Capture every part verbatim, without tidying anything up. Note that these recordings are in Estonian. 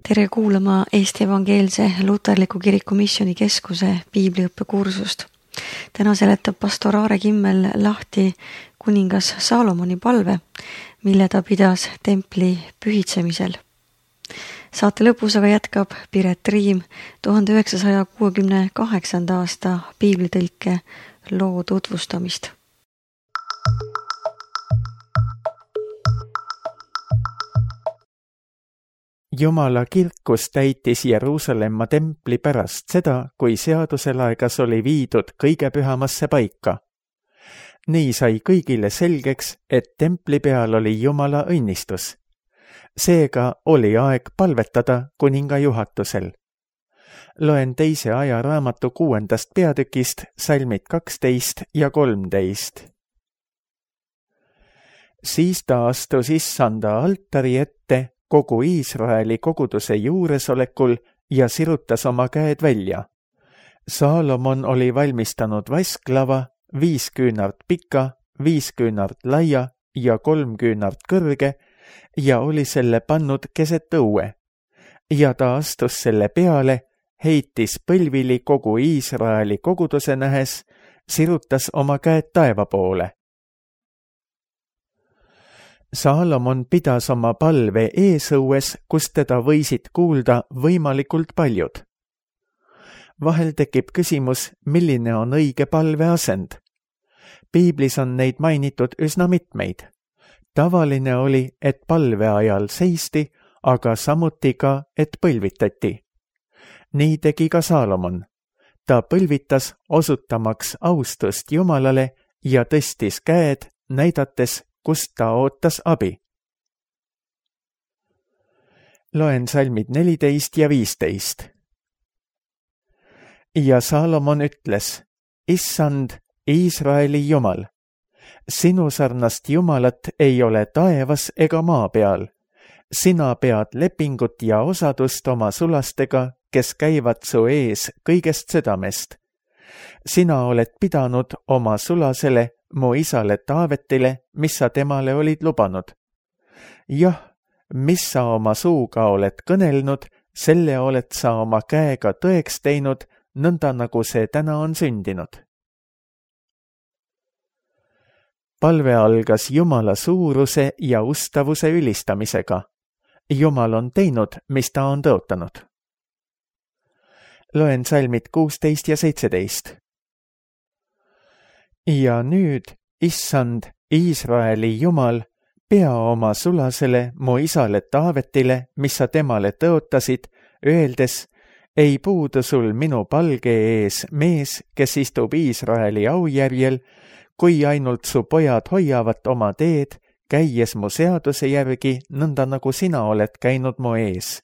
Tere kuulama Eesti Evangeelse Luterliku Kiriku Missiooni Keskuse piibliõppekursust. Täna seletab pastor Aare Kimmel lahti kuningas Saalomoni palve, mille ta pidas templi pühitsemisel. Saate lõpus aga jätkab Piret Riim tuhande üheksasaja kuuekümne kaheksanda aasta piiblitõlke loo tutvustamist. Jumala kirkus täitis Jeruusalemma templi pärast seda, kui seaduselaegas oli viidud kõige pühamasse paika. Nii sai kõigile selgeks, et templi peal oli Jumala õnnistus. Seega oli aeg palvetada kuninga juhatusel. Loen teise ajaraamatu kuuendast peatükist salmid kaksteist ja kolmteist. Siis ta astus issanda altari ette kogu Iisraeli koguduse juuresolekul ja sirutas oma käed välja. Saalomon oli valmistanud vasklava, viis küünart pika, viis küünart laia ja kolm küünart kõrge ja oli selle pannud keset õue. Ja ta astus selle peale, heitis põlvili kogu Iisraeli koguduse nähes, sirutas oma käed taeva poole. Saalomon pidas oma palve eesõues, kus teda võisid kuulda võimalikult paljud. Vahel tekib küsimus, milline on õige palve asend. Piiblis on neid mainitud üsna mitmeid. Tavaline oli, et palve ajal seisti, aga samuti ka, et põlvitati. Nii tegi ka Saalomon. Ta põlvitas osutamaks austust Jumalale ja tõstis käed, näidates, kust ta ootas abi. Loen salmid neliteist ja viisteist. Ja Saalomon ütles, Issand, Iisraeli Jumal, sinu sarnast Jumalat ei ole taevas ega maa peal. Sina pead lepingut ja osadust oma sulastega, kes käivad su ees kõigest südamest. Sina oled pidanud oma sulasele mu isale Taavetile, mis sa temale olid lubanud. Jah, mis sa oma suuga oled kõnelnud, selle oled sa oma käega tõeks teinud, nõnda nagu see täna on sündinud. Palve algas Jumala suuruse ja ustavuse ülistamisega. Jumal on teinud, mis ta on tõotanud. Loen salmid kuusteist ja seitseteist. Ja nüüd, Issand, Iisraeli Jumal, pea oma sulasele mu isale Taavetile, mis sa temale tõotasid, öeldes, ei puudu sul minu palge ees mees, kes istub Iisraeli aujärjel, kui ainult su pojad hoiavad oma teed, käies mu seaduse järgi, nõnda nagu sina oled käinud mu ees.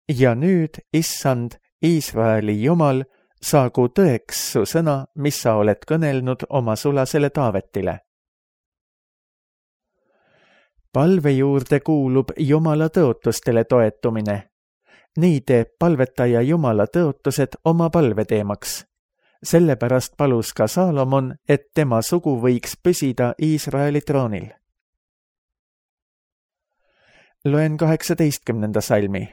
Ja nüüd, Issand, Iisraeli Jumal, saagu tõeks su sõna, mis sa oled kõnelnud oma sulasele Taavetile. Palve juurde kuulub Jumala tõotustele toetumine. Nii teeb palvetaja Jumala tõotused oma palveteemaks. Sellepärast palus ka Saalomon, et tema sugu võiks püsida Iisraeli troonil. Loen kaheksateistkümnenda salmi.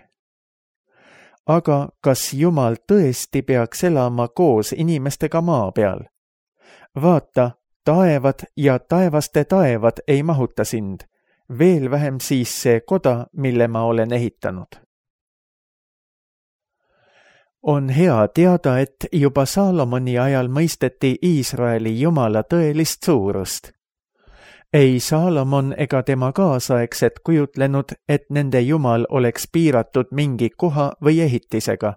Aga kas Jumal tõesti peaks elama koos inimestega maa peal? Vaata, taevad ja taevaste taevad ei mahuta sind, veel vähem siis see koda, mille ma olen ehitanud. On hea teada, et juba Saalomoni ajal mõisteti Iisraeli Jumala tõelist suurust. Ei Saalomon ega tema kaasaegsed kujutlenud, et nende Jumal oleks piiratud mingi koha või ehitisega.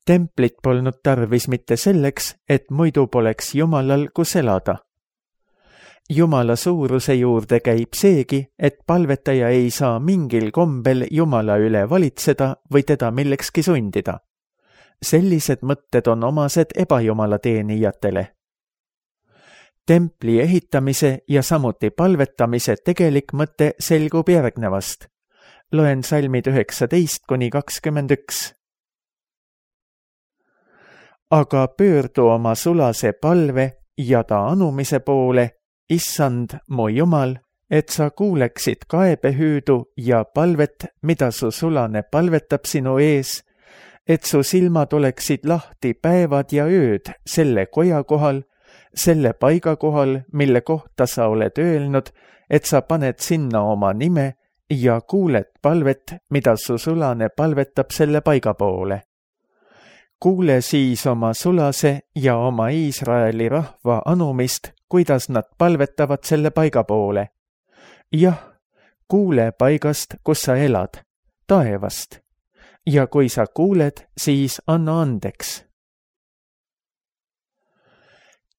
Templit polnud tarvis mitte selleks, et muidu poleks Jumalal kus elada. Jumala suuruse juurde käib seegi, et palvetaja ei saa mingil kombel Jumala üle valitseda või teda millekski sundida. Sellised mõtted on omased ebajumala teenijatele. Templi ehitamise ja samuti palvetamise tegelik mõte selgub järgnevast. Loen salmid üheksateist kuni kakskümmend üks. Aga pöördu oma sulase palve ja ta anumise poole, Issand, mu Jumal, et sa kuuleksid kaebehüüdu ja palvet, mida su sulane palvetab sinu ees, et su silmad oleksid lahti päevad ja ööd selle koja kohal, selle paiga kohal, mille kohta sa oled öelnud, et sa paned sinna oma nime ja kuuled palvet, mida su sulane palvetab selle paiga poole. Kuule siis oma sulase ja oma Iisraeli rahva anumist, kuidas nad palvetavad selle paiga poole. Jah, kuule paigast, kus sa elad, taevast. Ja kui sa kuuled, siis anna andeks.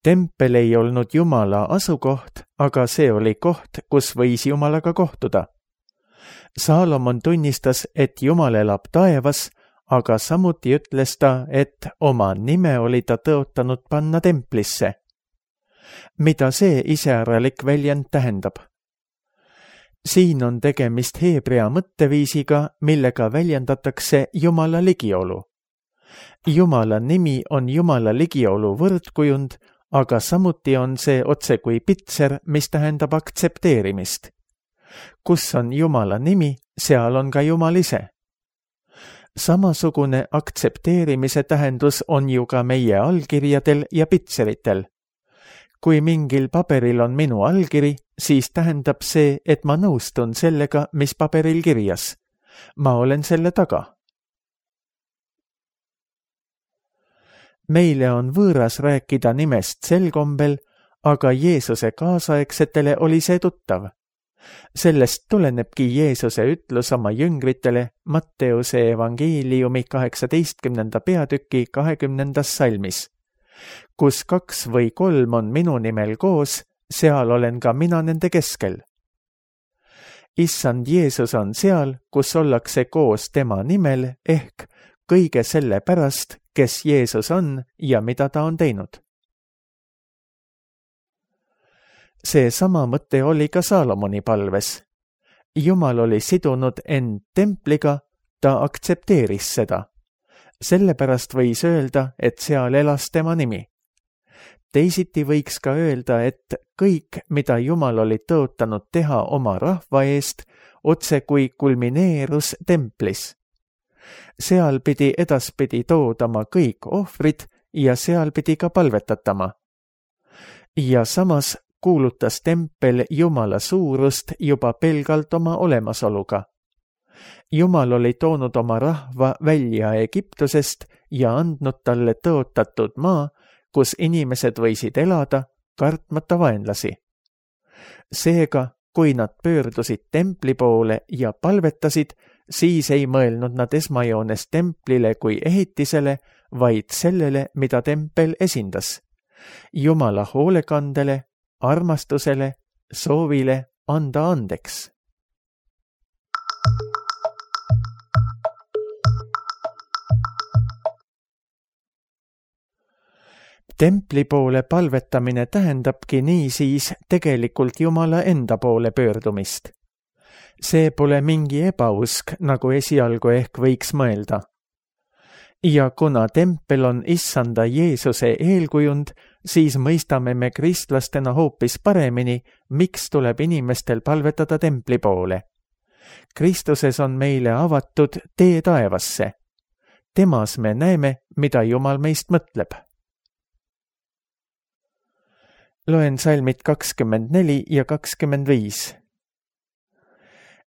Tempel ei olnud Jumala asukoht, aga see oli koht, kus võis Jumalaga kohtuda. Saalomon tunnistas, et Jumal elab taevas, aga samuti ütles ta, et oma nime oli ta tõotanud panna templisse. Mida see iseäralik väljend tähendab? Siin on tegemist heebrea mõtteviisiga, millega väljendatakse Jumala ligiolu. Jumala nimi on Jumala ligiolu võrdkujund, aga samuti on see otse kui pitser, mis tähendab aktsepteerimist. Kus on Jumala nimi, seal on ka Jumal ise. Samasugune aktsepteerimise tähendus on ju ka meie allkirjadel ja pitseritel. Kui mingil paberil on minu allkiri, siis tähendab see, et ma nõustun sellega, mis paberil kirjas. Ma olen selle taga. Meile on võõras rääkida nimest sel kombel, aga Jeesuse kaasaegsetele oli see tuttav. Sellest tulenebki Jeesuse ütlus oma jüngritele Matteuse evangeeliumi kaheksateistkümnenda peatüki kahekümnendas salmis. Kus kaks või kolm on minu nimel koos, seal olen ka mina nende keskel. Issand Jeesus on seal, kus ollakse koos tema nimel ehk kõige selle pärast, kes Jeesus on ja mida ta on teinud. See sama mõte oli ka Saalomoni palves. Jumal oli sidunud end templiga, ta aktsepteeris seda. Sellepärast võis öelda, et seal elas tema nimi. Teisiti võiks ka öelda, et kõik, mida Jumal oli tõotanud teha oma rahva eest, otse kui kulmineerus templis. Seal pidi edaspidi toodama kõik ohvrid ja seal pidi ka palvetatama. Ja samas kuulutas tempel Jumala suurust juba pelgalt oma olemasoluga. Jumal oli toonud oma rahva välja Egiptusest ja andnud talle tõotatud maa, kus inimesed võisid elada, kartmata vaenlasi. Seega, kui nad pöördusid templi poole ja palvetasid, siis ei mõelnud nad esmajoones templile kui ehitisele, vaid sellele, mida tempel esindas. Jumala hoolekandele, armastusele, soovile anda andeks. Templi poole palvetamine tähendabki niisiis tegelikult Jumala enda poole pöördumist. See pole mingi ebausk, nagu esialgu ehk võiks mõelda. Ja kuna tempel on issanda Jeesuse eelkujund, siis mõistame me kristlastena hoopis paremini, miks tuleb inimestel palvetada templi poole. Kristuses on meile avatud tee taevasse. Temas me näeme, mida Jumal meist mõtleb. Loen salmid kakskümmend neli ja kakskümmend viis.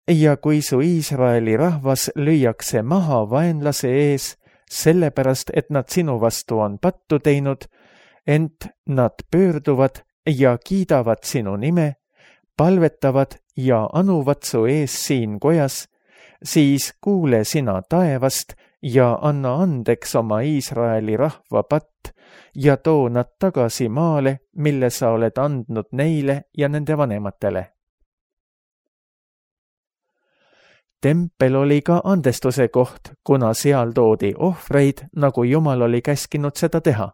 Ja kui su Iisraeli rahvas lüüakse maha vaenlase ees, sellepärast, et nad sinu vastu on pattu teinud, ent nad pöörduvad ja kiidavad sinu nime, palvetavad ja anuvad su ees siin kojas, siis kuule sina taevast ja anna andeks oma Iisraeli rahva patt ja too nad tagasi maale, mille sa oled andnud neile ja nende vanematele. Tempel oli ka andestuse koht, kuna seal toodi ohvreid, nagu Jumal oli käskinud seda teha.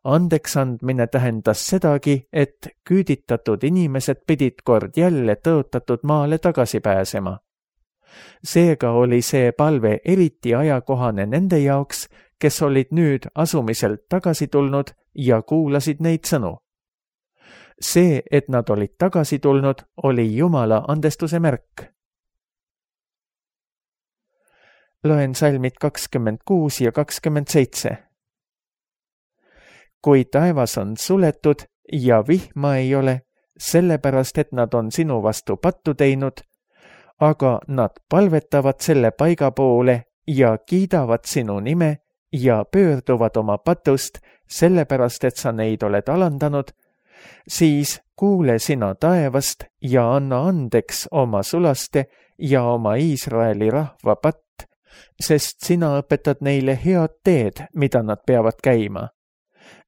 Andeks andmine tähendas sedagi, et küüditatud inimesed pidid kord jälle tõotatud maale tagasi pääsema. Seega oli see palve eriti ajakohane nende jaoks, kes olid nüüd asumiselt tagasi tulnud ja kuulasid neid sõnu. see, et nad olid tagasi tulnud, oli Jumala andestuse märk. Loen salmid kakskümmend kuus ja kakskümmend seitse. Kui taevas on suletud ja vihma ei ole, sellepärast, et nad on sinu vastu pattu teinud, aga nad palvetavad selle paiga poole ja kiidavad sinu nime ja pöörduvad oma patust, sellepärast, et sa neid oled alandanud, siis kuule sina taevast ja anna andeks oma sulaste ja oma Iisraeli rahva patt, sest sina õpetad neile head teed, mida nad peavad käima.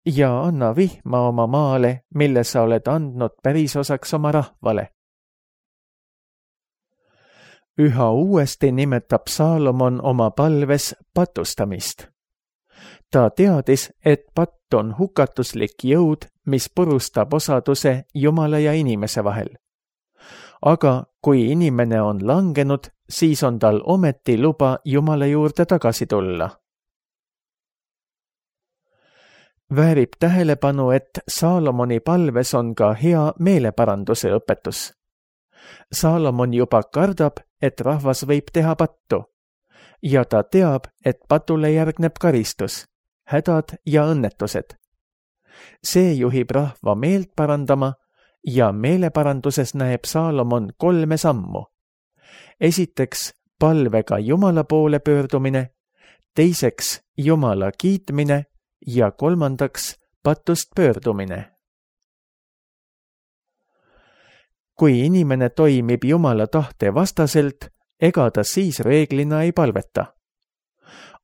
Ja anna vihma oma maale, mille sa oled andnud pärisosaks oma rahvale. Üha uuesti nimetab Saalomon oma palves patustamist. Ta teadis, et patt on hukatuslik jõud, mis purustab osaduse Jumala ja inimese vahel. Aga kui inimene on langenud, siis on tal ometi luba Jumala juurde tagasi tulla. Väärib tähelepanu, et Saalomoni palves on ka hea meeleparanduse õpetus. Saalomon juba kardab, et rahvas võib teha pattu ja ta teab, et patule järgneb karistus, hädad ja õnnetused. See juhib rahva meelt parandama ja meeleparanduses näeb Saalomon kolme sammu. Esiteks palvega Jumala poole pöördumine, teiseks Jumala kiitmine ja kolmandaks patust pöördumine. Kui inimene toimib Jumala tahte vastaselt, ega ta siis reeglina ei palveta.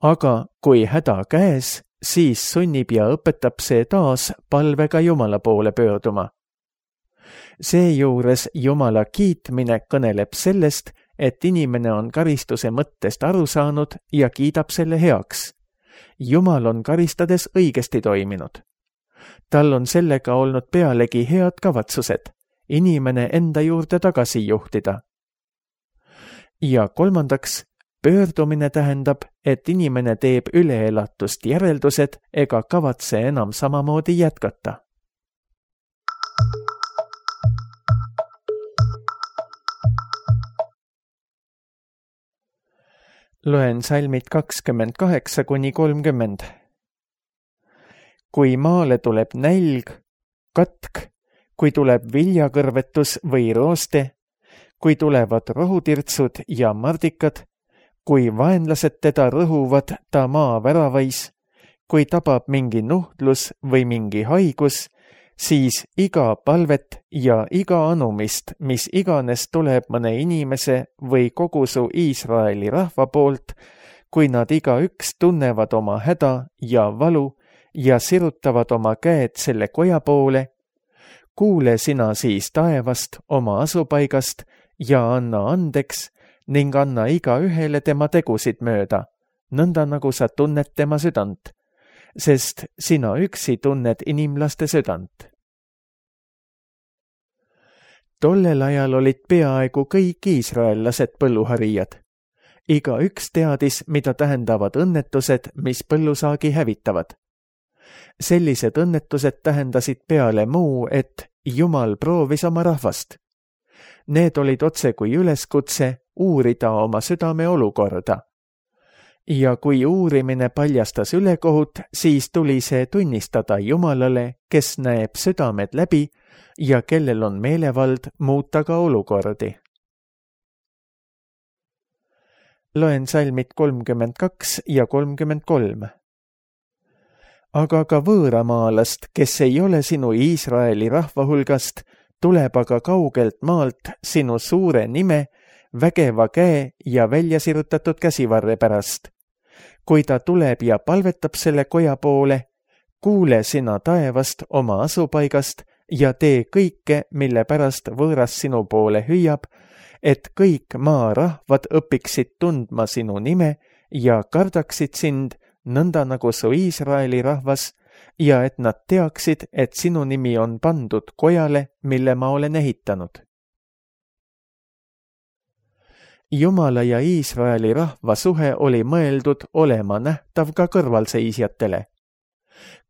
Aga kui häda käes, siis sunnib ja õpetab see taas palvega Jumala poole pöörduma. Seejuures Jumala kiitmine kõneleb sellest, et inimene on karistuse mõttest aru saanud ja kiidab selle heaks. Jumal on karistades õigesti toiminud. Tal on sellega olnud pealegi head kavatsused, inimene enda juurde tagasi juhtida. Ja kolmandaks, pöördumine tähendab, et inimene teeb üleelatust järeldused ega kavatse enam samamoodi jätkata. Loen salmid kakskümmend kaheksa kuni kolmkümmend. Kui maale tuleb nälg, katk, kui tuleb viljakõrvetus või rooste, kui tulevad rohutirtsud ja mardikad, kui vaenlased teda rõhuvad ta maa väravais, kui tabab mingi nuhtlus või mingi haigus, siis iga palvet ja iga anumist, mis iganes tuleb mõne inimese või kogu su Iisraeli rahva poolt, kui nad igaüks tunnevad oma häda ja valu ja sirutavad oma käed selle koja poole, kuule sina siis taevast oma asupaigast ja anna andeks ning anna iga ühele tema tegusid mööda, nõnda nagu sa tunned tema südant, sest sina üksi tunned inimlaste südant. Tollel ajal olid peaaegu kõik iisraellased põlluharijad. Iga üks teadis, mida tähendavad õnnetused, mis põllusaagi hävitavad. Sellised õnnetused tähendasid peale muu, et Jumal proovis oma rahvast. Need olid otse kui üleskutse uurida oma südame olukorda. Ja kui uurimine paljastas ülekohut, siis tuli see tunnistada Jumalale, kes näeb südamed läbi ja kellel on meelevald muuta ka olukordi. Loen salmid kolmkümmend kaks ja kolmkümmend kolm. Aga ka võõramaalast, kes ei ole sinu Iisraeli rahva hulgast, tuleb aga kaugelt maalt sinu suure nime, vägeva käe ja väljasirutatud käsivarre pärast. Kui ta tuleb ja palvetab selle koja poole, kuule sina taevast oma asupaigast ja tee kõike, mille pärast võõras sinu poole hüüab, et kõik maarahvad õpiksid tundma sinu nime ja kardaksid sind, nõnda nagu su Iisraeli rahvas, ja et nad teaksid, et sinu nimi on pandud kojale, mille ma olen ehitanud. Jumala ja Iisraeli rahva suhe oli mõeldud olema nähtav ka kõrvalseisjatele.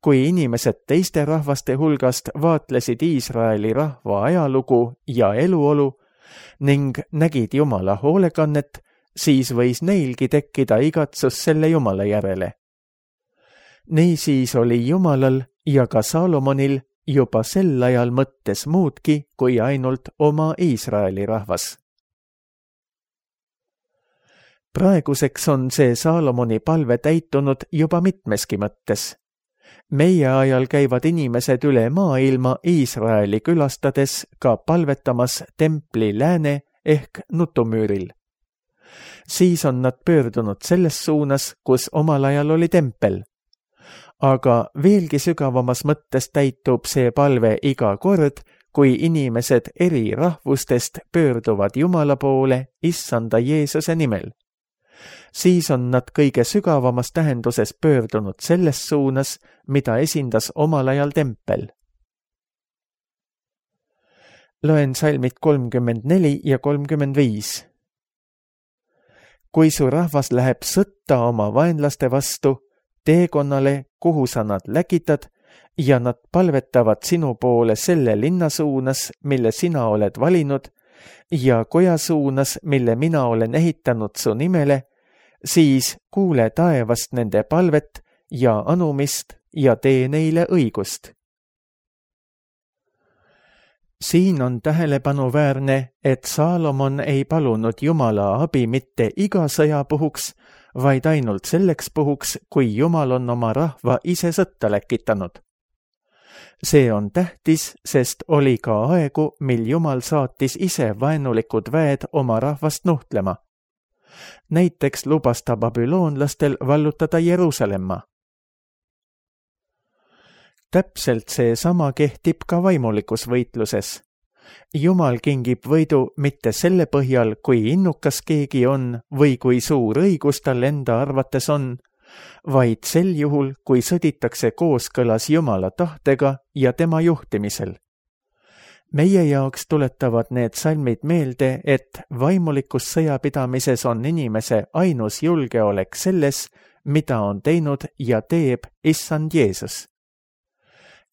kui inimesed teiste rahvaste hulgast vaatlesid Iisraeli rahva ajalugu ja eluolu ning nägid Jumala hoolekannet, siis võis neilgi tekkida igatsus selle Jumala järele. Niisiis oli Jumalal ja ka Saalomonil juba sel ajal mõttes muudki kui ainult oma Iisraeli rahvas. Praeguseks on see Saalomoni palve täitunud juba mitmeski mõttes. Meie ajal käivad inimesed üle maailma Iisraeli külastades ka palvetamas templi lääne ehk nutumüüril. Siis on nad pöördunud selles suunas, kus omal ajal oli tempel. Aga veelgi sügavamas mõttes täitub see palve iga kord, kui inimesed eri rahvustest pöörduvad Jumala poole Issanda Jeesuse nimel. Siis on nad kõige sügavamas tähenduses pöördunud selles suunas, mida esindas omal ajal tempel. Loen salmid kolmkümmend neli ja kolmkümmend viis. Kui su rahvas läheb sõtta oma vaenlaste vastu, teekonnale, kuhu sa nad läkitad, ja nad palvetavad sinu poole selle linna suunas, mille sina oled valinud, ja koja suunas, mille mina olen ehitanud su nimele, siis kuule taevast nende palvet ja anumist ja tee neile õigust. Siin on tähelepanuväärne, et Saalomon ei palunud Jumala abi mitte iga sõja puhuks, vaid ainult selleks puhuks, kui Jumal on oma rahva ise sõtta läkitanud. See on tähtis, sest oli ka aegu, mil Jumal saatis ise vaenulikud väed oma rahvast nuhtlema. Näiteks lubas ta babüloonlastel vallutada Jeruusalemma. Täpselt see sama kehtib ka vaimulikus võitluses. Jumal kingib võidu mitte selle põhjal, kui innukas keegi on või kui suur õigus tal enda arvates on, vaid sel juhul, kui sõditakse kooskõlas Jumala tahtega ja tema juhtimisel. Meie jaoks tuletavad need salmid meelde, et vaimulikus sõjapidamises on inimese ainus julgeolek selles, mida on teinud ja teeb Issand Jeesus.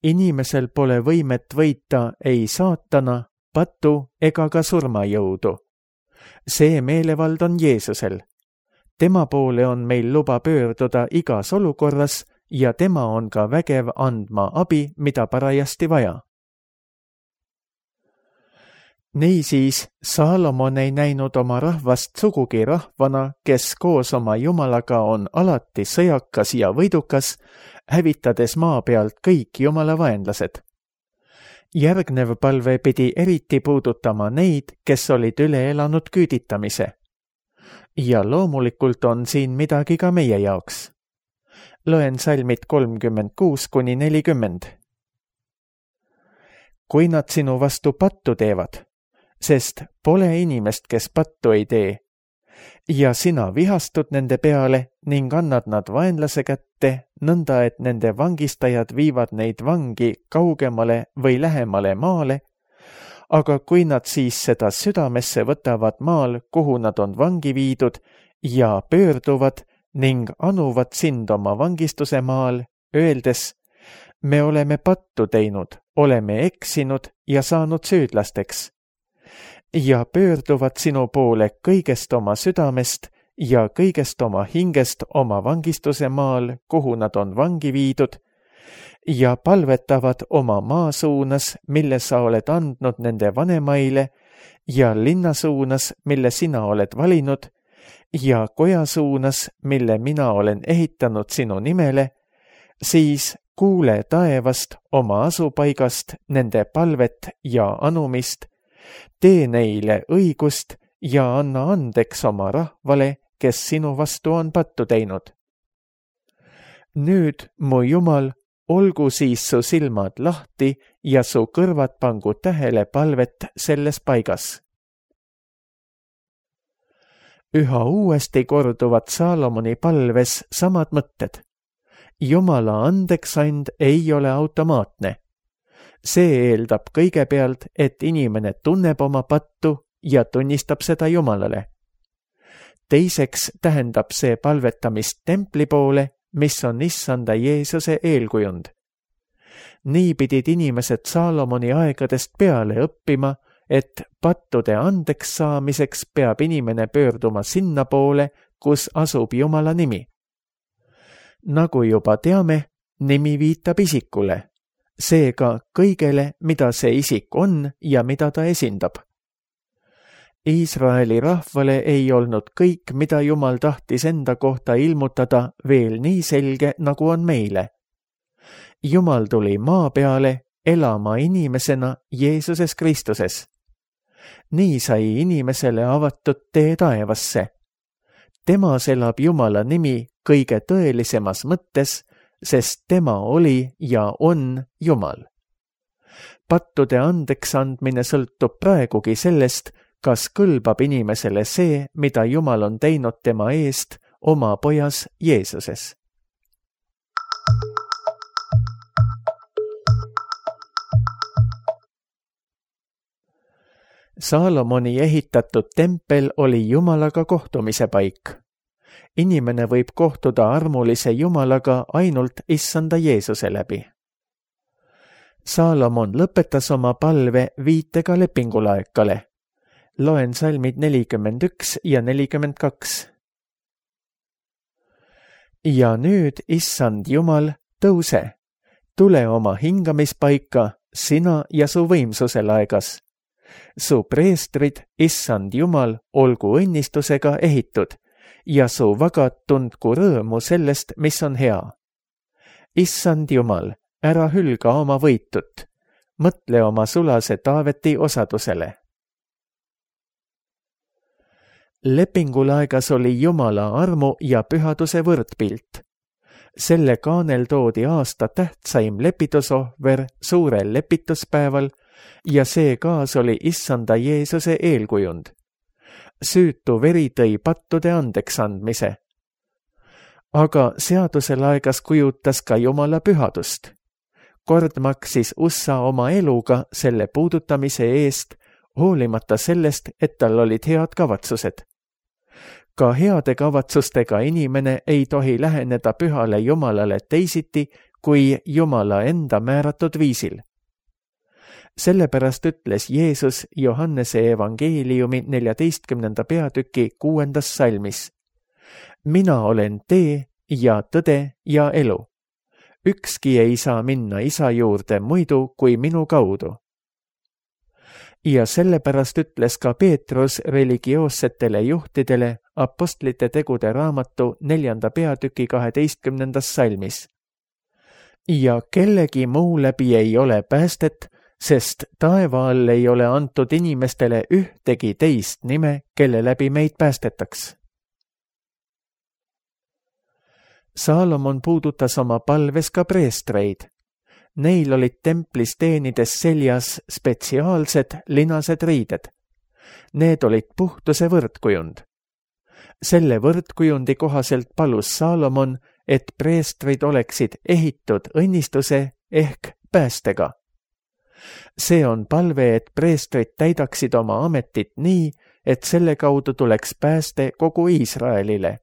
Inimesel pole võimet võita ei saatana, patu ega ka surmajõudu. See meelevald on Jeesusel. Tema poole on meil luba pöörduda igas olukorras ja tema on ka vägev andma abi, mida parajasti vaja. Niisiis, Saalomon ei näinud oma rahvast sugugi rahvana, kes koos oma Jumalaga on alati sõjakas ja võidukas, hävitades maa pealt kõik Jumala vaenlased. Järgnev palve pidi eriti puudutama neid, kes olid üle elanud küüditamise. Ja loomulikult on siin midagi ka meie jaoks. Loen salmid kolmkümmend kuus kuni nelikümmend. Kui nad sinu vastu pattu teevad, sest pole inimest, kes pattu ei tee, ja sina vihastud nende peale ning annad nad vaenlase kätte, nõnda et nende vangistajad viivad neid vangi kaugemale või lähemale maale, aga kui nad siis seda südamesse võtavad maal, kuhu nad on vangi viidud, ja pöörduvad ning anuvad sind oma vangistuse maal, öeldes, me oleme pattu teinud, oleme eksinud ja saanud süüdlasteks, ja pöörduvad sinu poole kõigest oma südamest ja kõigest oma hingest oma vangistuse maal, kuhu nad on vangi viidud, ja palvetavad oma maa suunas, mille sa oled andnud nende vanemaile, ja linna suunas, mille sina oled valinud, ja koja suunas, mille mina olen ehitanud sinu nimele, siis kuule taevast oma asupaigast nende palvet ja anumist, tee neile õigust ja anna andeks oma rahvale, kes sinu vastu on pattu teinud. Nüüd, mu Jumal, olgu siis su silmad lahti ja su kõrvad pangu tähele palvet selles paigas. Üha uuesti korduvad Saalomoni palves samad mõtted. Jumala andeksand ei ole automaatne. See eeldab kõigepealt, et inimene tunneb oma pattu ja tunnistab seda Jumalale. Teiseks tähendab see palvetamist templi poole mis on issanda Jeesuse eelkujund. Nii pidid inimesed Saalomoni aegadest peale õppima, et pattude andeks saamiseks peab inimene pöörduma sinna poole, kus asub Jumala nimi. Nagu juba teame, nimi viitab isikule, seega kõigele, mida see isik on ja mida ta esindab. Iisraeli rahvale ei olnud kõik, mida Jumal tahtis enda kohta ilmutada, veel nii selge, nagu on meile. Jumal tuli maa peale elama inimesena Jeesuses Kristuses. Nii sai inimesele avatud tee taevasse. Temas elab Jumala nimi kõige tõelisemas mõttes, sest tema oli ja on Jumal. Pattude andeks andmine sõltub praegugi sellest, kas kõlbab inimesele see, mida Jumal on teinud tema eest oma pojas Jeesuses. Saalomoni ehitatud tempel oli Jumalaga kohtumise paik. Inimene võib kohtuda armulise Jumalaga ainult issanda Jeesuse läbi. Saalomon lõpetas oma palve viitega lepingulaekale. Loen salmid nelikümmend üks ja nelikümmend kaks. Ja nüüd, issand Jumal, tõuse, tule oma hingamispaika, sina ja su võimsuse laegas. Su preestrid, issand Jumal, olgu õnnistusega ehitud ja su vagad tundku rõõmu sellest, mis on hea. Issand Jumal, ära hülga oma võitut, mõtle oma sulase Taaveti osadusele. Lepingulaegas oli Jumala armu ja pühaduse võrdpilt. Selle kaanel toodi aasta tähtsaim lepitusohver suurel lepituspäeval ja see kaas oli issanda Jeesuse eelkujund. Süütu veri tõi pattude andeks andmise. Aga seaduse laegas kujutas ka Jumala pühadust. Kord maksis Ussa oma eluga selle puudutamise eest, hoolimata sellest, et tal olid head kavatsused. Ka heade kavatsustega inimene ei tohi läheneda pühale Jumalale teisiti kui Jumala enda määratud viisil. Sellepärast ütles Jeesus Johannese evangeeliumi neljateistkümnenda peatüki kuuendas salmis. Mina olen tee ja tõde ja elu. Ükski ei saa minna isa juurde muidu kui minu kaudu. Ja sellepärast ütles ka Peetrus religioossetele juhtidele apostlite tegude raamatu neljanda peatüki kaheteistkümnendas salmis. Ja kellegi muu läbi ei ole päästet, sest taeva all ei ole antud inimestele ühtegi teist nime, kelle läbi meid päästetaks. Saalomon puudutas oma palves ka preestreid. Neil olid templis teenides seljas spetsiaalsed linased riided. Need olid puhtuse võrdkujund. Selle võrdkujundi kohaselt palus Saalomon, et preestrid oleksid ehitud õnnistuse ehk päästega. See on palve, et preestrid täidaksid oma ametit nii, et selle kaudu tuleks pääste kogu Iisraelile.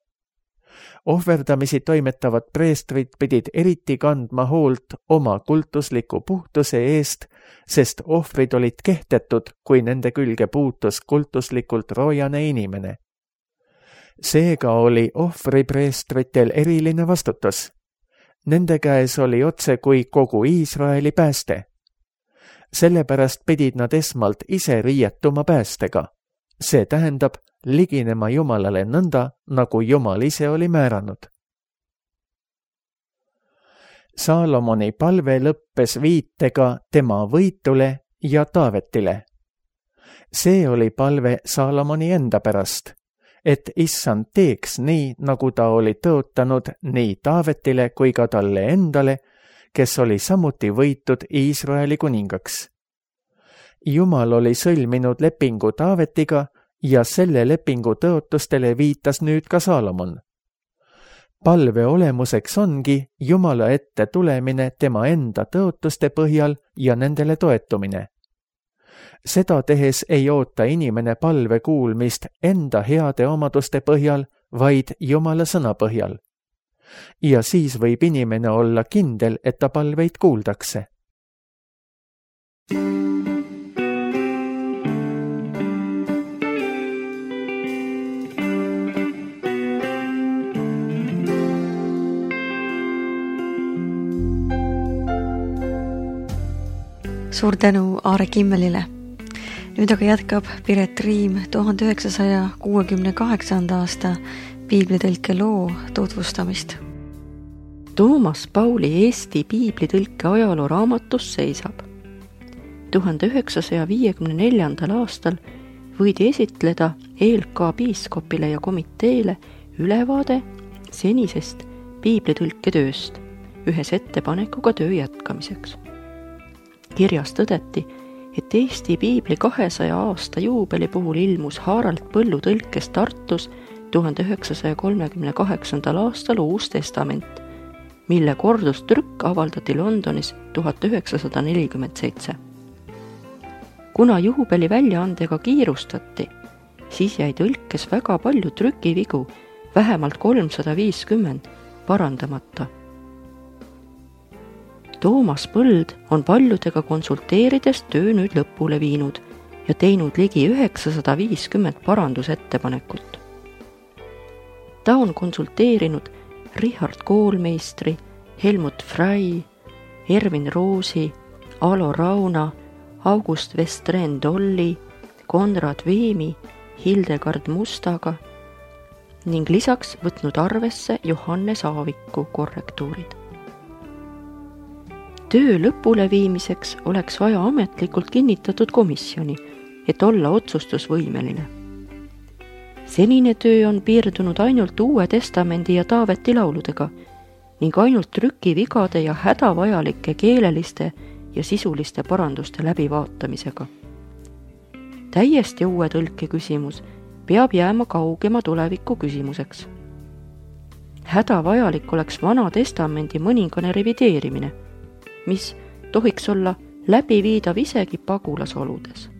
Ohverdamisi toimetavad preestrid pidid eriti kandma hoolt oma kultusliku puhtuse eest, sest ohvrid olid kehtetud, kui nende külge puutus kultuslikult roojane inimene. Seega oli ohvripreestritel eriline vastutus. Nende käes oli otse kui kogu Iisraeli pääste. Sellepärast pidid nad esmalt ise riietuma päästega. See tähendab liginema Jumalale nõnda, nagu Jumal ise oli määranud. Saalomoni palve lõppes viitega tema võitule ja Taavetile. See oli palve Saalomoni enda pärast, et issand teeks nii, nagu ta oli tõotanud nii Taavetile kui ka talle endale, kes oli samuti võitud Iisraeli kuningaks. Jumal oli sõlminud lepingu Taavetiga ja selle lepingu tõotustele viitas nüüd ka Saalomon. Palve olemuseks ongi Jumala ette tulemine tema enda tõotuste põhjal ja nendele toetumine. Seda tehes ei oota inimene palve kuulmist enda heade omaduste põhjal, vaid Jumala sõna põhjal. ja siis võib inimene olla kindel, et ta palveid kuuldakse. Suur tänu Aare Kimmelile. Nüüd aga jätkab Piret Riim tuhande üheksasaja kuuekümne kaheksanda aasta piiblitõlke loo tutvustamist. Toomas Pauli Eesti piiblitõlke ajaloo raamatus seisab. tuhande üheksasaja viiekümne neljandal aastal võidi esitleda E L K piiskopile ja komiteele ülevaade senisest piiblitõlke tööst ühes ettepanekuga töö jätkamiseks. Kirjas tõdeti, et Eesti piibli kahesaja aasta juubeli puhul ilmus Harald Põllu tõlkes Tartus tuhande üheksasaja kolmekümne kaheksandal aastal Uus Testament, mille kordustrükk avaldati Londonis tuhat üheksasada nelikümmend seitse. Kuna juubeli väljaandega kiirustati, siis jäi tõlkes väga palju trükivigu, vähemalt kolmsada viiskümmend, parandamata. Toomas Põld on paljudega konsulteerides töö nüüd lõpule viinud ja teinud ligi üheksasada viiskümmend parandusettepanekut. Ta on konsulteerinud Richard Koolmeistri, Helmut Frey, Ervin Roosi, Alo Rauna, August Westren-Dolli, Konrad Veemi, Hildegard Mustaga ning lisaks võtnud arvesse Johannes Aaviku korrektuurid. Töö lõpule viimiseks oleks vaja ametlikult kinnitatud komisjoni, et olla otsustusvõimeline. Senine töö on piirdunud ainult Uue Testamendi ja Taaveti lauludega ning ainult trükivigade ja hädavajalike keeleliste ja sisuliste paranduste läbivaatamisega. Täiesti uue tõlke küsimus peab jääma kaugema tuleviku küsimuseks. Hädavajalik oleks Vana Testamendi mõningane revideerimine, mis tohiks olla läbiviidav isegi pagulasoludes.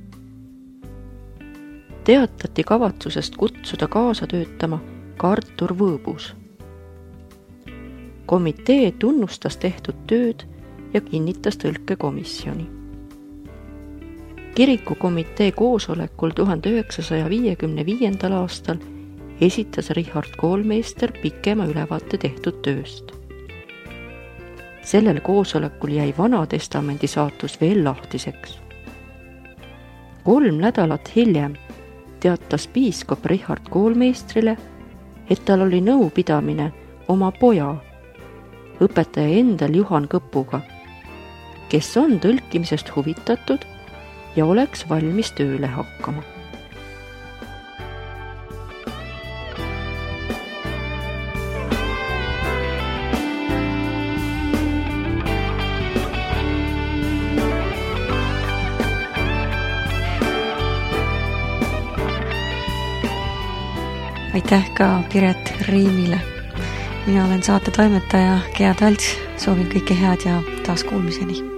Teatati kavatsusest kutsuda kaasa töötama ka Artur Võõbus. Komitee tunnustas tehtud tööd ja kinnitas tõlkekomisjoni. Kirikukomitee koosolekul tuhande üheksasaja viiekümne viiendal aastal esitas Richard Koolmeister pikema ülevaate tehtud tööst. Sellel koosolekul jäi Vana Testamendi saatus veel lahtiseks. Kolm nädalat hiljem teatas piiskop Richard Koolmeistrile, et tal oli nõupidamine oma poja, õpetaja endal Juhan Kõpuga, kes on tõlkimisest huvitatud ja oleks valmis tööle hakkama. Aitäh ka Piret Riimile. Mina olen saate toimetaja Gea Talts, soovin kõike head ja taas kuulmiseni.